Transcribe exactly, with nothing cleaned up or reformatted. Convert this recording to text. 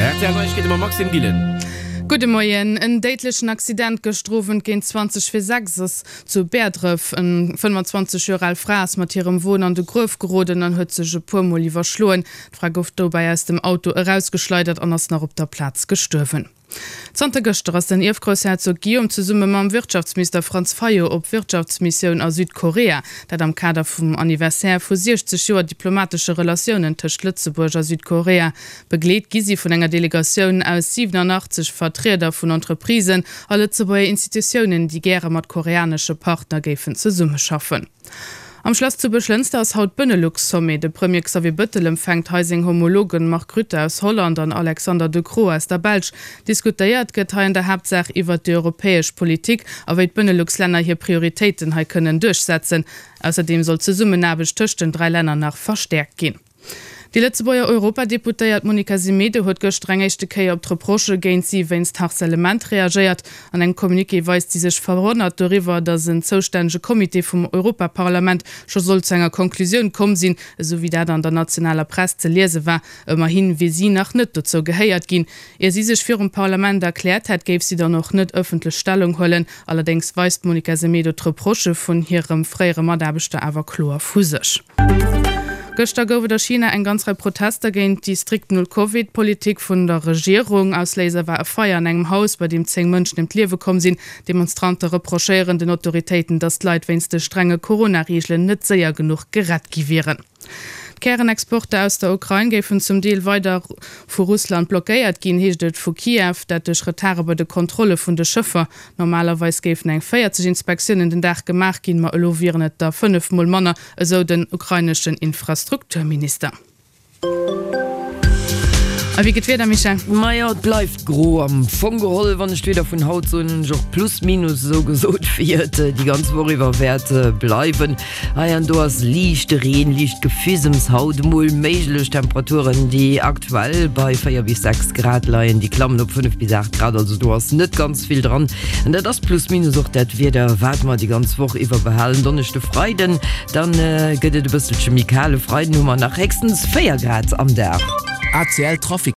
R T L Neiegkeete mam Maxime Gillen. Gudde Moien. En déidlechen Accident gëschter Owend géint zwanzeg vir sechs ass zu Bäerdref. En fënnfanzwanzeg Joer al Fra ass mat hirem Won an de Gruef geroden an huet sech e puer Mol iwwerschloen. D'Fra gouf dobäi aus dem Auto erausgeschleidert an ass nach op der Plaz gestuerwen. Zanter gëschter ass den Ierfgroussherzog Guillaume zesumme mam Wirtschaftsminister Franz Fayot op Wirtschaftsmissioun a Südkorea. Dat am Kader vum Anniversaire vu siechzeg Joer diplomatesche Relatiounen tëscht Lëtzebuerg a Südkorea. Begleet gi si vun enger Delegatioun aus siwenanachtzeg Vertrieder vun Entreprisen a Lëtzebuerger Institutiounen, déi gäre mat koreanesche Partner géifen zesummeschaffen. Am Schlass zu Buerglënster ass haut Benelux-Sommet. De Premier Xavier Bëttel empfänkt hei seng Homologen Mark Rutte aus Holland an Alexander De Croo aus der Belsch. Diskutéiert gëtt hei an der Haaptsaach iwwert déi europäesch Politik a wéi d'Benelux-Länner hir Prioritéiten hei kënnen duerchsetzen. Ausserdeem soll d'Zesummenaarbecht tëscht den dräi Länner nach verstäerkt ginn. Déi Lëtzebuerger Europadeputéiert Monica Semedo huet gëschter eng éischte Kéier op d'Reprochë géint si wéinst Harcèlement reagéiert. An engem Communiqué weist si sech verwonnert doriwwer, datt en zoustännege Comité vum Europaparlament scho soll zu enger Konklusioun komm sinn, esou wéi dat an der nationaler Press ze liese war. Ëmmerhi wier si nach net dozou gehéiert ginn. Ier si sech virum Parlament erkläert hätt, géif si dann och net ëffentlech Stellung huelen. Allerdéngs weist d'Monica Semedo d'Reprochë vun hirem fréiere Mataarbechter awer kloer vu sech. Gëschter gouf et a China eng ganz Rei Protester géint déi strikt Null-Covid-Politik vun der Regierung. Ausléiser war e Feier an engem Haus, bei deem zéng Mënschen ëm d'Liewe komm sinn. Demonstrante reprochéieren den Autoritéiten, datt d'Leit wéinst de strenge Corona-Reegelen net séier genuch gerett gi wieren. D'Kärenexporter aus der Ukrain géifen zum Deel weider vu Russland blockéiert ginn, heescht et vu Kiew, dat duerch Retarde bei de Kontrolle vun de Schëffer. Normalerweis géifen eng véierzeg Inspektiounen den Dag gemaach ginn, ma elo wieren et der fënnef Mol manner, esou den ukraineschen Infrastrukturminister. A wéi geet d'Wieder, Michèle? Majo, et bleift gro am Fong geholl. Wann ech d'Wieder vun haut soen, hunn ech och plus minus esou gesot, wéi et déi ganz Woch iwwer wäert bleiwen. Hei an do ass liichte Reen, liicht Gefisems haut emol méiglech. Temperaturen, déi aktuell bei véier bis sechs Grad leien, déi klammen op fënnef bis aacht Grad, also do ass net ganz vill dran. An dat ass plus minus och dat Wieder, wat mer déi ganz Woch iwwer behalen. Donneschde, Freiden, dann gëtt et e bësselche méi kal. E Freiden hu mer nach héchstens véier Grad am Dag. A C L Trafic.